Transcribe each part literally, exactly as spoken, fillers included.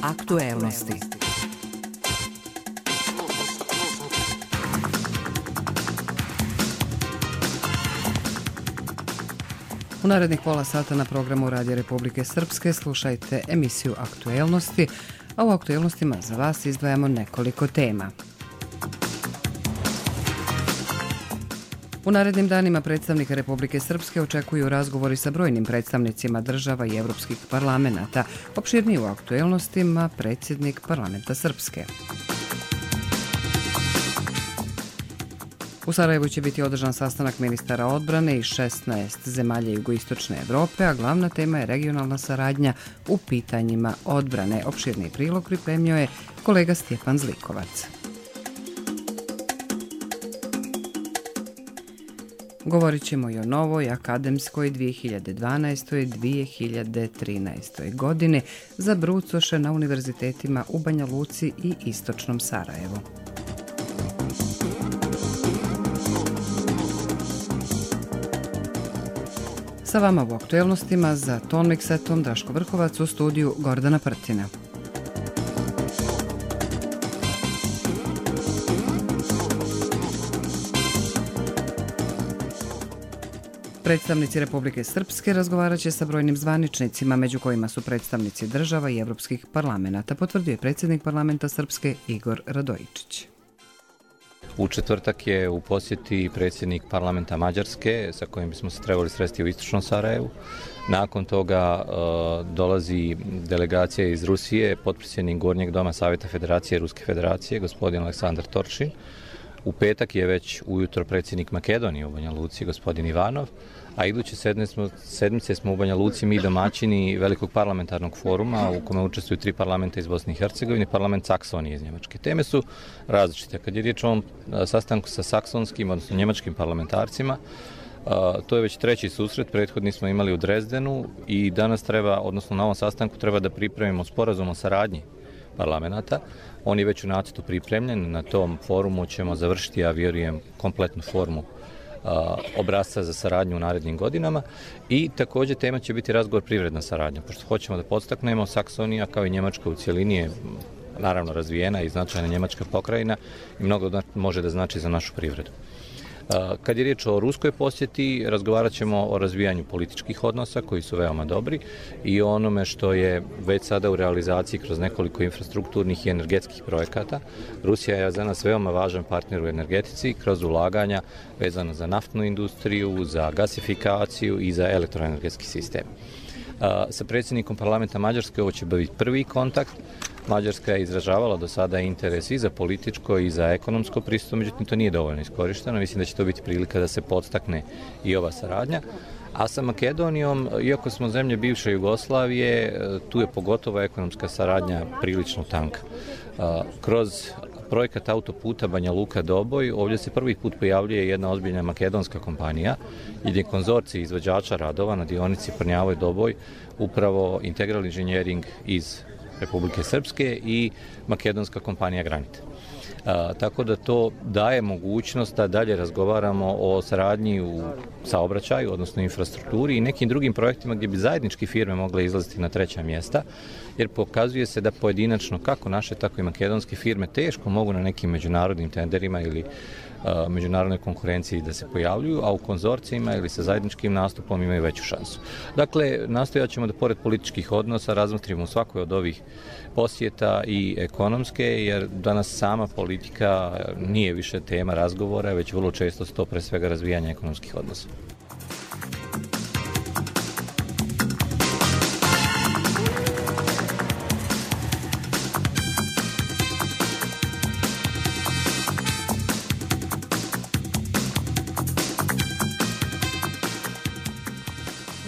Aktuelnosti. U narednih pola sata na programu Radija Republike Srpske slušajte emisiju Aktuelnosti, a u aktuelnostima za vas izdvajamo nekoliko tema. U narednim danima predstavnika Republike Srpske očekuju razgovori sa brojnim predstavnicima država i evropskih parlamenata. Opširnije u aktuelnostima predsjednik parlamenta Srpske. U Sarajevu će biti održan sastanak ministara odbrane iz šesnaest zemalja jugoistočne Evrope, a glavna tema je regionalna saradnja u pitanjima odbrane. Opširni prilog pripremio je kolega Stjepan Zlikovac. Govorit ćemo i o novoj akademskoj dvije hiljade dvanaestoj dvije hiljade trinaestoj godini za brucoše na univerzitetima u Banja Luci i istočnom Sarajevu. Sa vama u aktuelnostima za ton miksetom Draško Vrhovac, u studiju Gordana Prtina. Predstavnici Republike Srpske razgovarat će sa brojnim zvaničnicima, među kojima su predstavnici država i evropskih parlamenata, potvrdio je predsjednik parlamenta Srpske Igor Radojičić. U četvrtak je u posjeti predsjednik parlamenta Mađarske, sa kojim bismo se trebali sresti u istočnom Sarajevu. Nakon toga e, dolazi delegacija iz Rusije, potpredsjednik Gornjeg doma Savjeta Federacije Ruske Federacije, gospodin Aleksandar Torčin. U petak je već ujutro predsjednik Makedonije u Banja Luci, gospodin Ivanov, a iduće sedmice smo u Banja Luci mi domaćini velikog parlamentarnog foruma u kome učestvuju tri parlamenta iz Bosne i Hercegovine, parlament Saksonije iz Njemačke. Teme su različite. Kad je riječ o ovom sastanku sa saksonskim, odnosno njemačkim parlamentarcima, to je već treći susret, prethodni smo imali u Drezdenu i danas treba, odnosno na ovom sastanku treba da pripremimo sporazum o saradnji parlamenta. On je već u nacrtu pripremljen, na tom forumu ćemo završiti, ja vjerujem, kompletnu formu a, obrasca za saradnju u narednim godinama i također tema će biti razgovor privredna saradnja, pošto hoćemo da podstaknemo, Saksonija kao i Njemačka u cjelini je naravno razvijena i značajna njemačka pokrajina i mnogo može da znači za našu privredu. Kad je riječ o ruskoj posjeti, razgovarat ćemo o razvijanju političkih odnosa koji su veoma dobri i o onome što je već sada u realizaciji kroz nekoliko infrastrukturnih i energetskih projekata. Rusija je za nas veoma važan partner u energetici kroz ulaganja vezano za naftnu industriju, za gasifikaciju i za elektroenergetski sistem. Sa predsjednikom parlamenta Mađarske ovo će biti prvi kontakt. Mađarska je izražavala do sada interes i za političko i za ekonomsko pristup, međutim to nije dovoljno iskorišteno. Mislim da će to biti prilika da se podstakne i ova saradnja. A sa Makedonijom, iako smo zemlje bivše Jugoslavije, tu je pogotovo ekonomska saradnja prilično tanka. Kroz projekat autoputa Banja Luka-Doboj, ovdje se prvi put pojavljuje jedna ozbiljna makedonska kompanija, jer je konzorcij izvođača radova na dionici Prnjavoj-Doboj, upravo Integral Engineering iz Republike Srpske i makedonska kompanija Granit. A, tako da to daje mogućnost da dalje razgovaramo o saradnji u saobraćaju, odnosno infrastrukturi i nekim drugim projektima gdje bi zajednički firme mogle izlaziti na treća mjesta, jer pokazuje se da pojedinačno kako naše, tako i makedonske firme teško mogu na nekim međunarodnim tenderima ili a, međunarodnoj konkurenciji da se pojavljuju, a u konzorcijima ili sa zajedničkim nastupom imaju veću šansu. Dakle, nastojat ćemo da pored političkih odnosa razmotrimo u svakoj od ovih posjeta i ekonomske, jer danas sama politika nije više tema razgovora, već vrlo često sto pre svega razvijanja ekonomskih odnosa.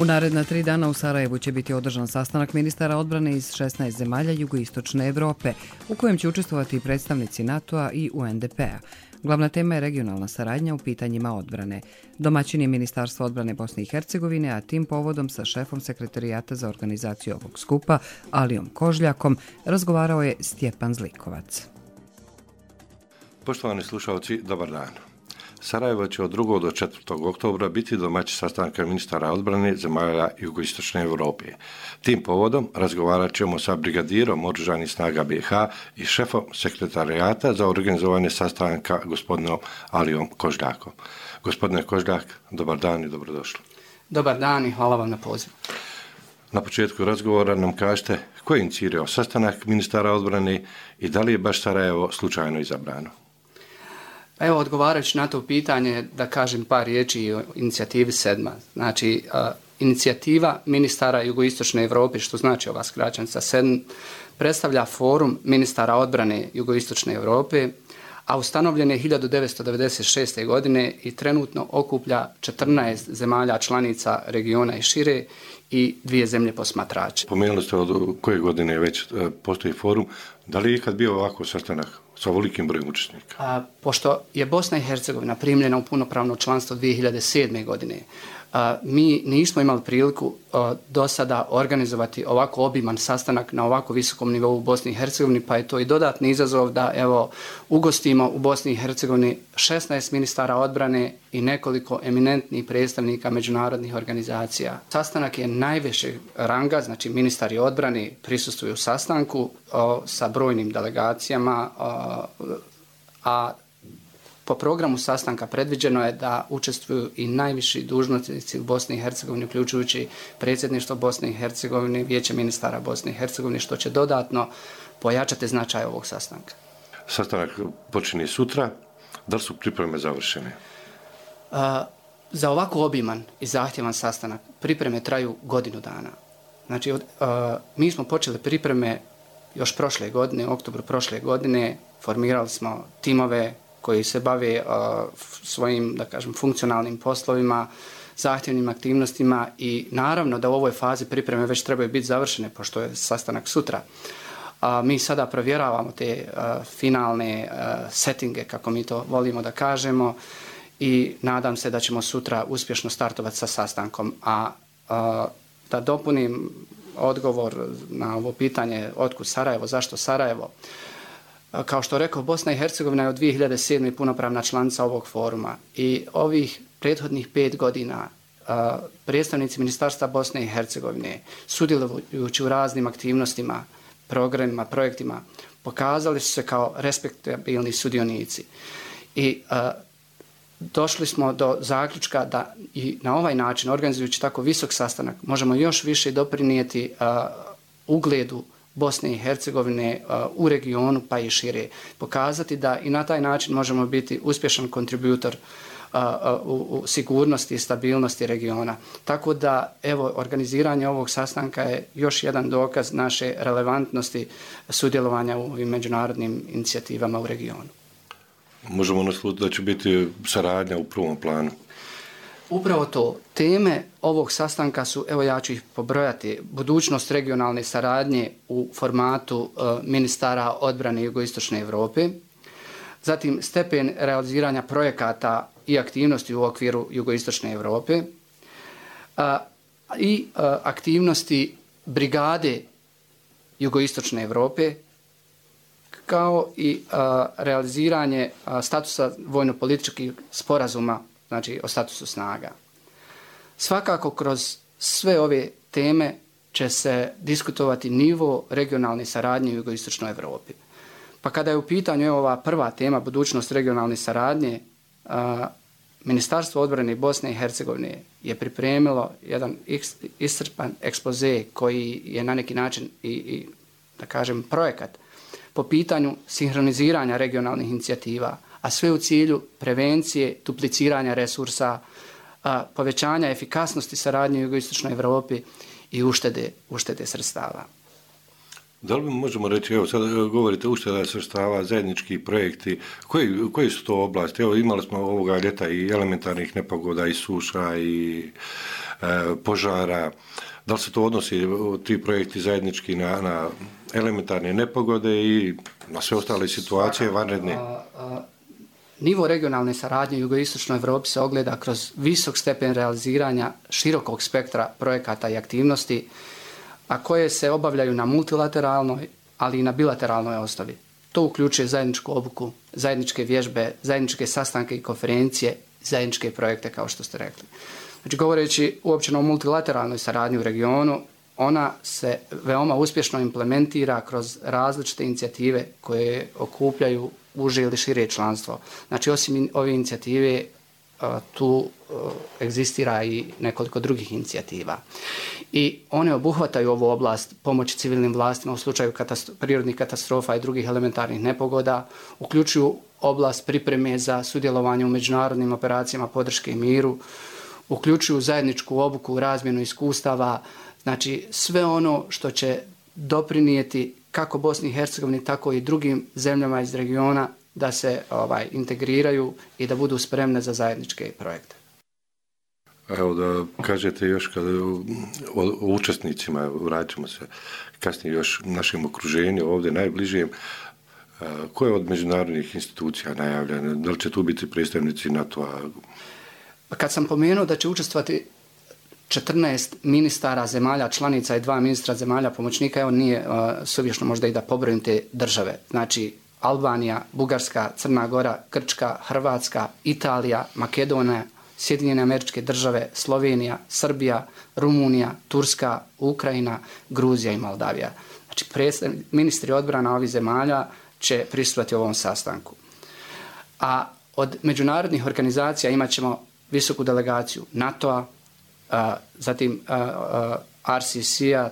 U naredna tri dana u Sarajevu će biti održan sastanak ministara odbrane iz šesnaest zemalja jugoistočne Evrope, u kojem će učestvovati i predstavnici NATO-a i U N D P-a. Glavna tema je regionalna saradnja u pitanjima odbrane. Domaćin je Ministarstvo odbrane Bosne i Hercegovine, a tim povodom sa šefom sekretarijata za organizaciju ovog skupa, Alijom Kožljakom, razgovarao je Stjepan Zlikovac. Poštovani slušalci, dobar dan. Sarajevo će od drugog do četvrtog oktobra biti domaćin sastanka ministara odbrane zemalja jugoistočne Europe. Tim povodom razgovarat ćemo sa brigadirom oružanih snaga B i H i šefom sekretarijata za organizovanje sastanka gospodinom Alijom Kožljakom. Gospodine Kožljak, dobar dan i dobrodošli. Dobar dan i hvala vam na pozivu. Na početku razgovora nam kažete ko je inicirao sastanak ministara odbrane i da li je baš Sarajevo slučajno izabrano? Evo, odgovarajući na to pitanje, da kažem par riječi o inicijativi sedma. Znači, a, inicijativa ministara jugoistočne Europe, što znači ova skraćenica sedm, predstavlja forum ministara odbrane jugoistočne Europe, a ustanovljen je hiljadu devetsto devedeset šeste. godine i trenutno okuplja četrnaest zemalja članica regiona i šire i dvije zemlje posmatrače. Pomenuli ste od koje godine već postoji forum. Da li je ikad bio ovako sastanak sa ovolikim brojem učesnika? A, pošto je Bosna i Hercegovina primljena u punopravno članstvo dvije hiljade sedme. godine, a, mi nismo imali priliku a, do sada organizovati ovako obiman sastanak na ovako visokom nivou u Bosni i Hercegovini, pa je to i dodatni izazov da evo ugostimo u Bosni i Hercegovini šesnaest ministara odbrane i nekoliko eminentnih predstavnika međunarodnih organizacija. Sastanak je najvišeg ranga, znači ministari odbrane prisustvuju sastanku a, sa brojnim delegacijama, a, a po programu sastanka predviđeno je da učestvuju i najviši dužnosnici u Bosni i Hercegovini, uključujući predsjedništvo Bosne i Hercegovine, vijeće ministara Bosne i Hercegovine, što će dodatno pojačati značaj ovog sastanka. Sastanak počinje sutra. Da li su pripreme završene? A, za ovako obiman i zahtjevan sastanak pripreme traju godinu dana. Znači, od, a, mi smo počeli pripreme još prošle godine, u oktobru prošle godine, formirali smo timove koji se bave uh, svojim, da kažem, funkcionalnim poslovima, zahtjevnim aktivnostima i naravno da u ovoj fazi pripreme već trebaju biti završene, pošto je sastanak sutra. Uh, mi sada provjeravamo te uh, finalne uh, settinge, kako mi to volimo da kažemo, i nadam se da ćemo sutra uspješno startovati sa sastankom. A uh, da dopunim odgovor na ovo pitanje otkud Sarajevo, zašto Sarajevo. Kao što rekao, Bosna i Hercegovina je od dvije hiljade sedme. punopravna članica ovog foruma i ovih prethodnih pet godina a, predstavnici Ministarstva Bosne i Hercegovine, sudjelujući u raznim aktivnostima, programima, projektima, pokazali su se kao respektabilni sudionici. I a, došli smo do zaključka da i na ovaj način, organizujući tako visok sastanak, možemo još više doprinijeti a, ugledu Bosne i Hercegovine uh, u regionu pa i šire. Pokazati da i na taj način možemo biti uspješan kontributor uh, uh, u, u sigurnosti i stabilnosti regiona. Tako da, evo, organiziranje ovog sastanka je još jedan dokaz naše relevantnosti sudjelovanja u ovim međunarodnim inicijativama u regionu. Možemo naslutiti da će biti saradnja u prvom planu. Upravo to. Teme ovog sastanka su, evo ja ću ih pobrojati, budućnost regionalne saradnje u formatu uh, ministara odbrane jugoistočne Europe, zatim stepen realiziranja projekata i aktivnosti u okviru jugoistočne Europe uh, i uh, aktivnosti brigade jugoistočne Europe, kao i uh, realiziranje uh, statusa vojno-političkih sporazuma, znači o statusu snaga. Svakako kroz sve ove teme će se diskutovati nivo regionalne saradnje u jugoistočnoj Europi. Pa kada je u pitanju ova prva tema, budućnost regionalne saradnje, a, Ministarstvo odbrane Bosne i Hercegovine je pripremilo jedan iscrpan ekspoze koji je na neki način i, i da kažem, projekat po pitanju sinhroniziranja regionalnih inicijativa, a sve u cilju prevencije, dupliciranja resursa, a, povećanja efikasnosti saradnje u jugoistočnoj Europi i uštede, uštede sredstava. Da li možemo reći, evo sad govorite ušteda sredstava, zajednički projekti, koji, koji su to oblasti? Evo imali smo ovoga ljeta i elementarnih nepogoda, i suša, i e, požara. Da li se to odnosi, ti projekti zajednički na, na elementarne nepogode i na sve ostale situacije vanredne? A, a, nivo regionalne saradnje u jugoistočnoj Europi se ogleda kroz visok stepen realiziranja širokog spektra projekata i aktivnosti, a koje se obavljaju na multilateralnoj, ali i na bilateralnoj osnovi. što uključuje zajedničku obuku, zajedničke vježbe, zajedničke sastanke i konferencije, zajedničke projekte, kao što ste rekli. Znači, govoreći uopće o multilateralnoj saradnji u regionu, ona se veoma uspješno implementira kroz različite inicijative koje okupljaju uže ili šire članstvo. Znači, osim ove inicijative, tu egzistira i nekoliko drugih inicijativa. I one obuhvataju ovu oblast pomoći civilnim vlastima u slučaju katastro- prirodnih katastrofa i drugih elementarnih nepogoda, uključuju oblast pripreme za sudjelovanje u međunarodnim operacijama podrške miru, uključuju zajedničku obuku, razmjenu iskustava, znači sve ono što će doprinijeti kako Bosni i Hercegovini, tako i drugim zemljama iz regiona da se ovaj, integriraju i da budu spremne za zajedničke projekte. Evo da kažete još kada o, o učesnicima, vraćamo se kasnije još našem okruženju, ovdje najbližijem, ko je od međunarodnih institucija najavljen? Da li će tu biti predstavnici NATO-a? Kad sam pomenuo da će učestvovati četrnaest ministara zemalja članica i dva ministra zemalja pomoćnika, evo nije uh, suvišno možda i da pobrojim te države. Znači Albanija, Bugarska, Crna Gora, Grčka, Hrvatska, Italija, Makedonija, Sjedinjene Američke Države, Slovenija, Srbija, Rumunija, Turska, Ukrajina, Gruzija i Moldavija. Znači ministri odbrana ovih zemalja će prisustvovati ovom sastanku. A od međunarodnih organizacija imat ćemo visoku delegaciju NATO-a, a, zatim a, a, R C C-a,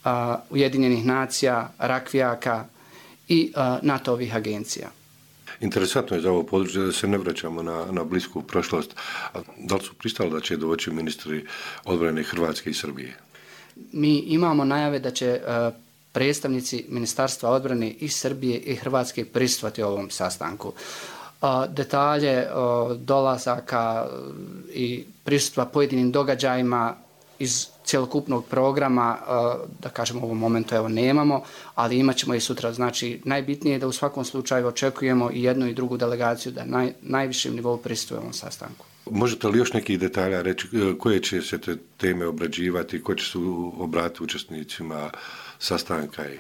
a, Ujedinjenih nacija, Rakvijaka i a, NATO-ovih agencija. Interesantno je za ovo područje da se ne vraćamo na, na blisku prošlost. A da li su pristali da će doći ministri odbrane Hrvatske i Srbije? Mi imamo najave da će a, predstavnici Ministarstva odbrane i Srbije i Hrvatske prisustvovati ovom sastanku. A, detalje a, dolazaka i prisustva pojedinim događajima iz cjelokupnog programa, da kažemo u ovom momentu evo nemamo, ali imat ćemo i sutra. Znači najbitnije je da u svakom slučaju očekujemo i jednu i drugu delegaciju da naj, najvišem nivou prisustvuje ovom sastanku. Možete li još nekih detalja reći koje će se te teme obrađivati, koje će se obratiti učesnicima sastanka? I...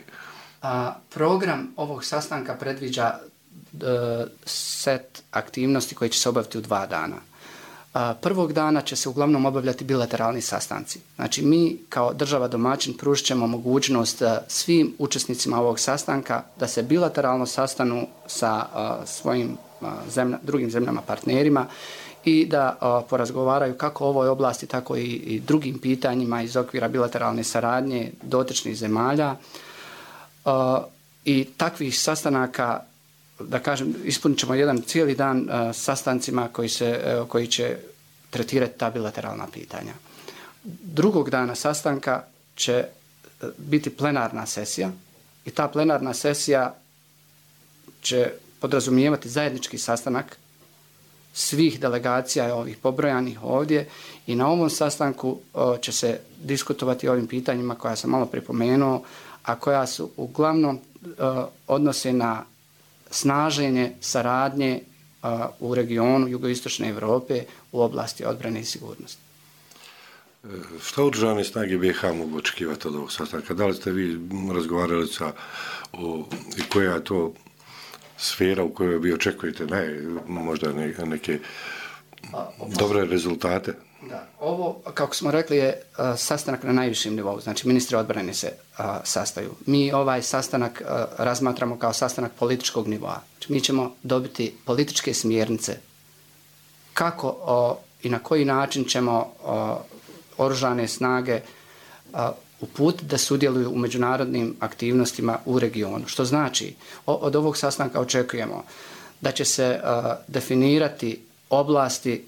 A, program ovog sastanka predviđa d, set aktivnosti koje će se obaviti u dva dana. Prvog dana će se uglavnom obavljati bilateralni sastanci. Znači mi kao država domaćin pružit ćemo mogućnost svim učesnicima ovog sastanka da se bilateralno sastanu sa svojim zemlja, drugim zemljama partnerima i da porazgovaraju kako o ovoj oblasti, tako i, i drugim pitanjima iz okvira bilateralne saradnje dotičnih zemalja. I takvih sastanaka, da kažem, ispunit ćemo jedan cijeli dan uh, sastancima koji, se, uh, koji će tretirati ta bilateralna pitanja. Drugog dana sastanka će uh, biti plenarna sesija i ta plenarna sesija će podrazumijevati zajednički sastanak svih delegacija ovih pobrojanih ovdje i na ovom sastanku uh, će se diskutovati o ovim pitanjima koja sam malo pripomenuo, a koja su uglavnom uh, odnose na snaženje saradnje a, u regionu jugoistočne Europe u oblasti odbrane i sigurnosti. Šta oružane snage B i H mogu očekivati od ovog sastanka? Da li ste vi razgovarali sa o, i koja je to sfera u kojoj vi očekujete ne, možda ne, neke dobre rezultate? Da, ovo, kako smo rekli, je a, sastanak na najvišem nivou, znači ministri odbrane se a, sastaju. Mi ovaj sastanak a, razmatramo kao sastanak političkog nivoa. Znači, mi ćemo dobiti političke smjernice kako a, i na koji način ćemo a, oružane snage a, uputiti da sudjeluju u međunarodnim aktivnostima u regionu. Što znači, o, od ovog sastanka očekujemo da će se a, definirati oblasti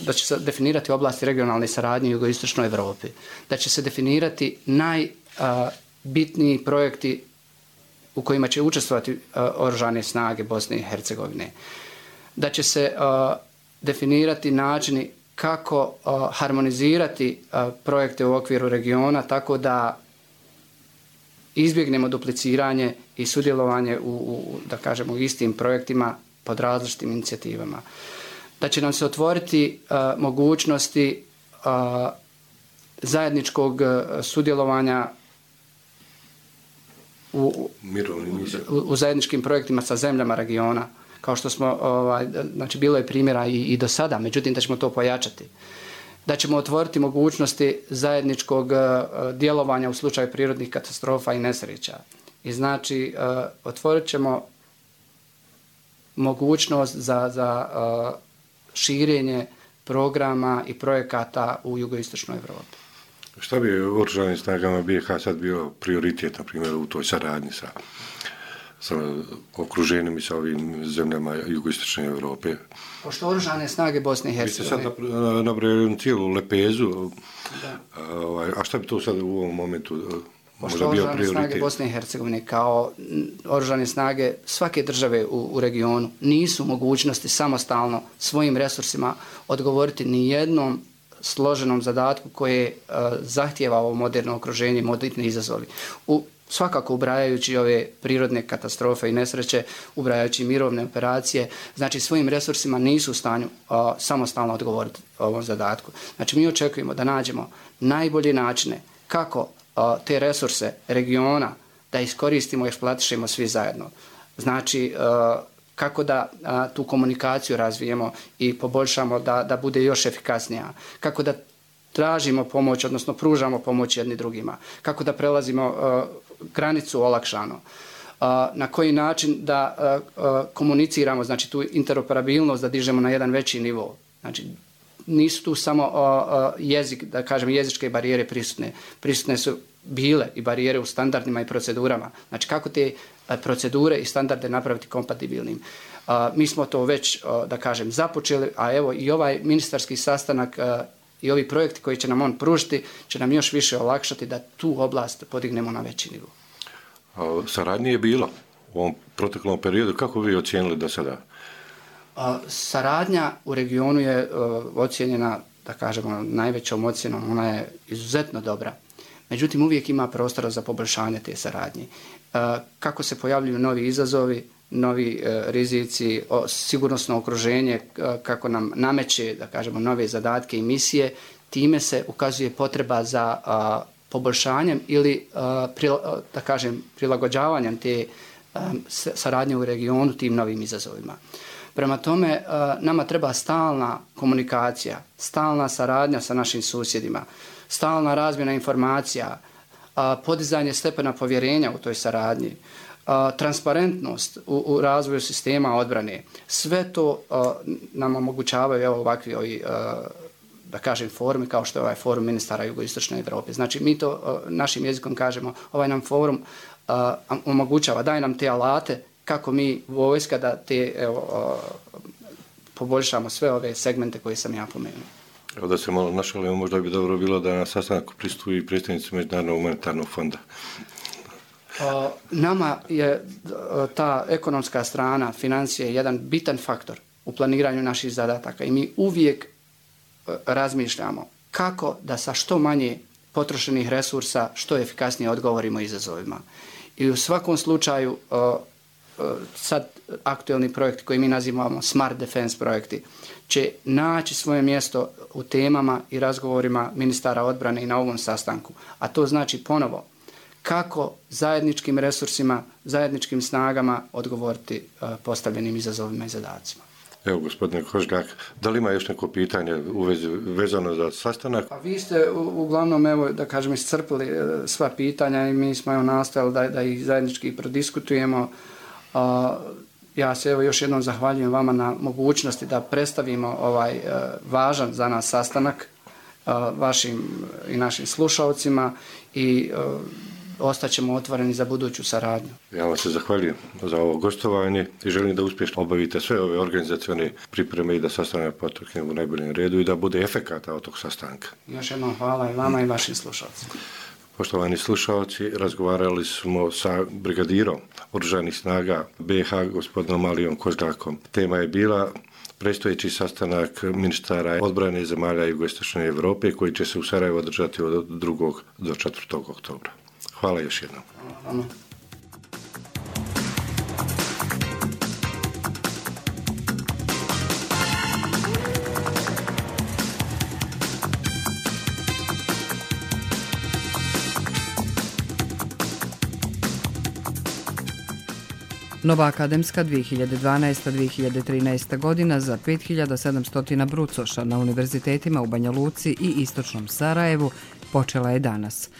da će se definirati oblasti regionalne saradnje u jugoistočnoj Europi, da će se definirati najbitniji projekti u kojima će učestvovati oružane snage Bosne i Hercegovine, da će se a, definirati načini kako a, harmonizirati a, projekte u okviru regiona tako da izbjegnemo dupliciranje i sudjelovanje u, u da kažemo, istim projektima pod različitim inicijativama. Da će nam se otvoriti uh, mogućnosti uh, zajedničkog uh, sudjelovanja u, u, u zajedničkim projektima sa zemljama regiona, kao što smo, ovaj, znači bilo je primjera i, i do sada, međutim da ćemo to pojačati. Da ćemo otvoriti mogućnosti zajedničkog uh, djelovanja u slučaju prirodnih katastrofa i nesreća. I znači uh, otvorit ćemo mogućnost za, za uh, širenje programa i projekata u jugoistočnoj Evropi. Šta bi oružanim snagama B i H sad bio prioritet, na primjer, u toj saradnji sa, sa okruženim i sa ovim zemljama jugoistočne Evrope? Pošto oružane snage Bosne i Hercegovine... Vi ste sad nabrojali cijelu lepezu, a, a šta bi to sad u ovom momentu možda bio prioritet? Oružane snage Bosne i Hercegovine kao oružane snage svake države u, u regionu nisu mogućnosti samostalno svojim resursima odgovoriti ni jednom složenom zadatku koje uh, zahtijeva ovo moderno okruženje i moderni izazovi. U, svakako ubrajajući ove prirodne katastrofe i nesreće, ubrajajući mirovne operacije, znači svojim resursima nisu u stanju uh, samostalno odgovoriti ovom zadatku. Znači mi očekujemo da nađemo najbolje načine kako uh, te resurse regiona da iskoristimo i eksploatišemo svi zajedno. Znači uh, kako da a, tu komunikaciju razvijemo i poboljšamo da, da bude još efikasnija, kako da tražimo pomoć, odnosno pružamo pomoć jedni drugima, kako da prelazimo a, granicu olakšano, a, na koji način da a, a, komuniciramo, znači tu interoperabilnost da dižemo na jedan veći nivo. Znači nisu tu samo a, a, jezik, da kažem jezičke barijere prisutne, prisutne su bile i barijere u standardima i procedurama. Znači kako te procedure i standarde napraviti kompatibilnim. Uh, mi smo to već, uh, da kažem, započeli, a evo i ovaj ministarski sastanak uh, i ovi projekti koji će nam on pružiti će nam još više olakšati da tu oblast podignemo na veći nivo. A saradnje je bilo u ovom proteklom periodu. Kako vi ocijenili do sada? Uh, saradnja u regionu je uh, ocijenjena, da kažemo, najvećom ocjenom. Ona je izuzetno dobra. Međutim, uvijek ima prostora za poboljšanje te saradnje. Kako se pojavljuju novi izazovi, novi rizici, sigurnosno okruženje, kako nam nameće, da kažemo, nove zadatke i misije, time se ukazuje potreba za poboljšanjem ili, da kažem, prilagođavanjem te saradnje u regionu tim novim izazovima. Prema tome, nama treba stalna komunikacija, stalna saradnja sa našim susjedima, stalna razmjena informacija, podizanje stepena povjerenja u toj saradnji, transparentnost u, u razvoju sistema odbrane. Sve to nam omogućavaju evo, ovakvi ovi, da kažem, forumi kao što je ovaj forum ministara jugoistočne Evrope. Znači, mi to našim jezikom kažemo, ovaj nam forum omogućava, daje nam te alate kako mi vojska da te evo, poboljšamo sve ove segmente koje sam ja pomenuo. Evo da se malo našalimo, možda bi dobro bilo da na sastanku pristupi predstavnici Međunarodnog humanitarnog fonda. O, nama je ta ekonomska strana, financije, jedan bitan faktor u planiranju naših zadataka i mi uvijek razmišljamo kako da sa što manje potrošenih resursa što efikasnije odgovorimo izazovima. I u svakom slučaju o, sad aktuelni projekti koji mi nazivamo Smart Defense projekti će naći svoje mjesto u temama i razgovorima ministara odbrane i na ovom sastanku. A to znači ponovo kako zajedničkim resursima, zajedničkim snagama odgovoriti postavljenim izazovima i zadacima. Evo, gospodine Kožgak, da li ima još neko pitanje u vezi, vezano za sastanak? Pa vi ste uglavnom, evo, da kažem, iscrpili sva pitanja i mi smo evo nastojali da, da ih zajednički prodiskutujemo. Uh, ja se evo još jednom zahvaljujem vama na mogućnosti da predstavimo ovaj uh, važan za nas sastanak uh, vašim i našim slušalcima i uh, ostaćemo otvoreni za buduću saradnju. Ja vam se zahvaljujem za ovo gostovanje i želim da uspješno obavite sve ove organizacione pripreme i da sastanak potekne u najboljem redu i da bude efekata od tog sastanka. Još jednom hvala i vama i vašim slušalcima. Poštovani slušalci, razgovarali smo sa brigadirom oružanih snaga B i H, gospodinom Alijom Kožgakom. Tema je bila predstojeći sastanak ministara odbrane zemalja jugoistočne Evrope koji će se u Sarajevu održati od drugog do četvrtog oktobra. Hvala još jednom. Hvala. Nova akademska dvije hiljade dvanaesta dvije hiljade trinaesta godina za pet hiljada sedamsto brucoša na univerzitetima u Banja Luci i Istočnom Sarajevu počela je danas.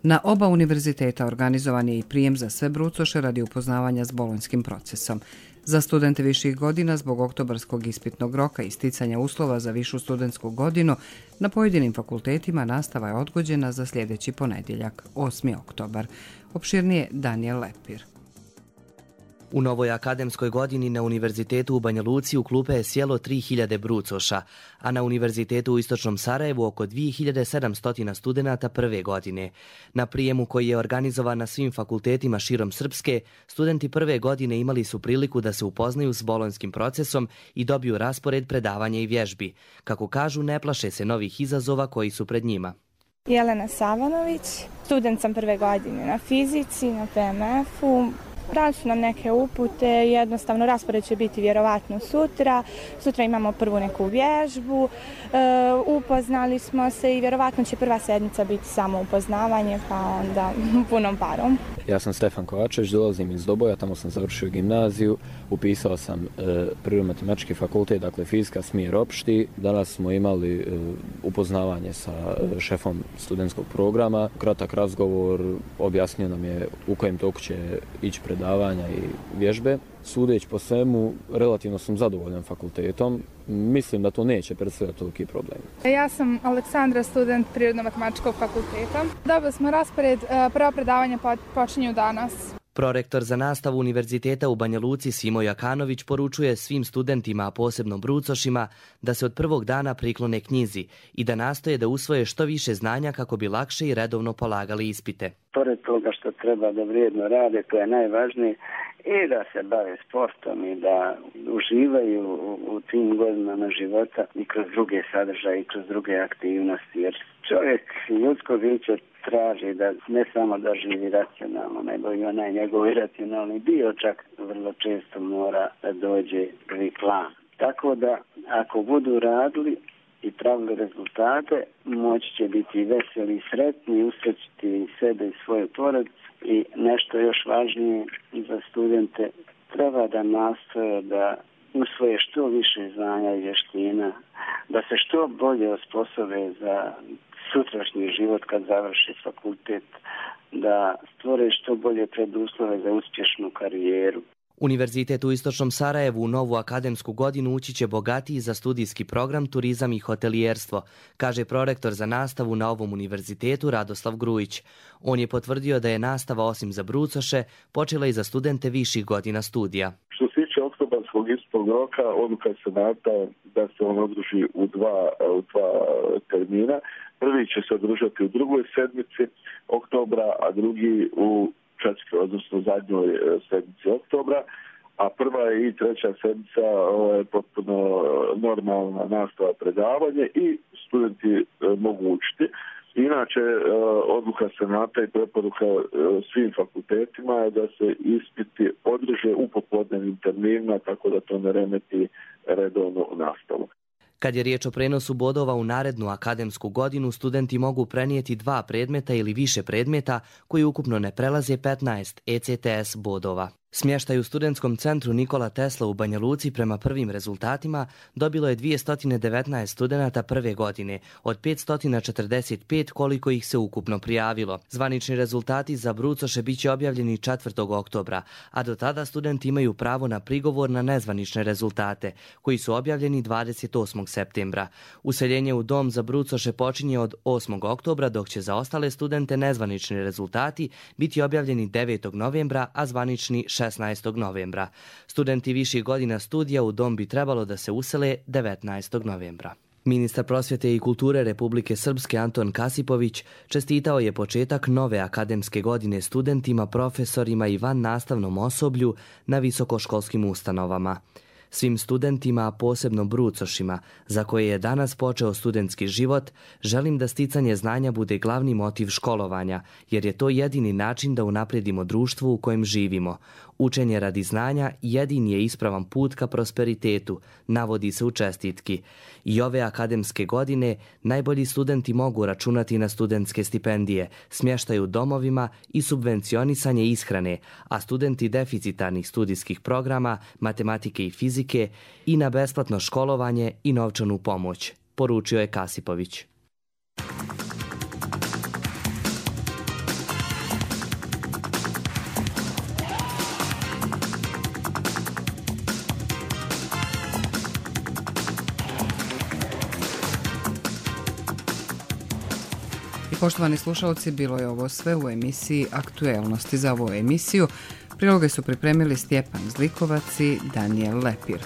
Na oba univerziteta organizovan je i prijem za sve brucoše radi upoznavanja s bolonjskim procesom. Za studente viših godina zbog oktobarskog ispitnog roka i sticanja uslova za višu studentsku godinu na pojedinim fakultetima nastava je odgođena za sljedeći ponedjeljak, osmi oktobar. Opširnije Daniel Lepir. U novoj akademskoj godini na Univerzitetu u Banja Luci u klupe je sjelo tri hiljade brucoša, a na Univerzitetu u Istočnom Sarajevu oko dvije hiljade sedamsto studenata prve godine. Na prijemu koji je organizovan na svim fakultetima širom Srpske, studenti prve godine imali su priliku da se upoznaju s bolonjskim procesom i dobiju raspored predavanja i vježbi. Kako kažu, ne plaše se novih izazova koji su pred njima. Jelena Savanović, student sam prve godine na fizici, na P M F-u. Dali su nam neke upute, jednostavno raspored će biti vjerovatno sutra. Sutra imamo prvu neku vježbu, e, upoznali smo se i vjerovatno će prva sedmica biti samo upoznavanje, pa onda punom parom. Ja sam Stefan Kovačević, dolazim iz Doboja, tamo sam završio gimnaziju, upisao sam e, prirodno-matematički fakultet, dakle fizika smjer opšti. Danas smo imali e, upoznavanje sa e, šefom studentskog programa, kratak razgovor, objasnio nam je u kojem toku će ići predavanja i vježbe. Sudeć po svemu, relativno sam zadovoljan fakultetom. Mislim da to neće predstavljati toliki problem. Ja sam Aleksandra, student Prirodno-matematičkog fakulteta. Dobili smo raspored, prva predavanja počinju danas. Prorektor za nastavu Univerziteta u Banja Luci Simo Jakanović poručuje svim studentima, a posebno brucošima, da se od prvog dana priklone knjizi i da nastoje da usvoje što više znanja kako bi lakše i redovno polagali ispite. Pored toga što treba da vrijedno rade, to je najvažnije, i da se bave sportom i da uživaju u, u tim godinama života i kroz druge sadržaje i kroz druge aktivnosti. Jer čovjek, ljudsko biće, traži da ne samo da živi racionalno, nego i onaj njegov iracionalni dio čak vrlo često mora da dođe prvi plan. Tako da ako budu radili i pravili rezultate, moći će biti veseli i sretni, usrećiti i sebe i svoju porodicu. I nešto još važnije za studente, treba da nastoje da usvoje što više znanja i vještina, da se što bolje osposobe za sutrašnji život kad završi fakultet, da stvore što bolje preduslove za uspješnu karijeru. Univerzitet u Istočnom Sarajevu u novu akademsku godinu ući će bogatiji za studijski program turizam i hotelijerstvo, kaže prorektor za nastavu na ovom univerzitetu Radoslav Grujić. On je potvrdio da je nastava osim za brucoše počela i za studente viših godina studija. Što se tiče oktobarskog ispitnog roka, odluka se nata da se on održi u dva, u dva termina. Prvi će se održati u drugoj sedmici oktobra, a drugi u četvrtoj, odnosno zadnjoj sedmici oktobra, a prva i treća sedmica je potpuno normalna nastava predavanje i studenti mogu učiti. Inače, odluka senata i preporuka svim fakultetima je da se ispiti održe u popodnevnim terminima, tako da to ne remeti redovnu nastavu. Kad je riječ o prenosu bodova u narednu akademsku godinu, studenti mogu prenijeti dva predmeta ili više predmeta koji ukupno ne prelaze petnaest E C T S bodova. Smještaj u studentskom centru Nikola Tesla u Banja Luci prema prvim rezultatima dobilo je dvjesto devetnaest studenata prve godine, od petsto četrdeset pet koliko ih se ukupno prijavilo. Zvanični rezultati za brucoše bit će objavljeni četvrtog oktobra, a do tada studenti imaju pravo na prigovor na nezvanične rezultate, koji su objavljeni dvadeset osmog septembra. Useljenje u dom za brucoše počinje od osmog oktobra, dok će za ostale studente nezvanični rezultati biti objavljeni devetog novembra, a zvanični šesnaestog novembra. Studenti viših godina studija u dom bi trebalo da se usele devetnaestog novembra. Ministar prosvjete i kulture Republike Srpske Anton Kasipović čestitao je početak nove akademske godine studentima, profesorima i van nastavnom osoblju na visokoškolskim ustanovama. Svim studentima, a posebno brucošima, za koje je danas počeo studentski život, želim da sticanje znanja bude glavni motiv školovanja, jer je to jedini način da unaprijedimo društvo u kojem živimo. Učenje radi znanja jedini je ispravan put ka prosperitetu, navodi se u čestitki. I ove akademske godine najbolji studenti mogu računati na studentske stipendije, smještaj u domovima i subvencionisanje ishrane, a studenti deficitarnih studijskih programa, matematike i fizike i na besplatno školovanje i novčanu pomoć, poručio je Kasipović. Poštovani slušalci, bilo je ovo sve u emisiji Aktuelnosti. Za ovu emisiju priloge su pripremili Stjepan Zlikovac i Danijel Lepir.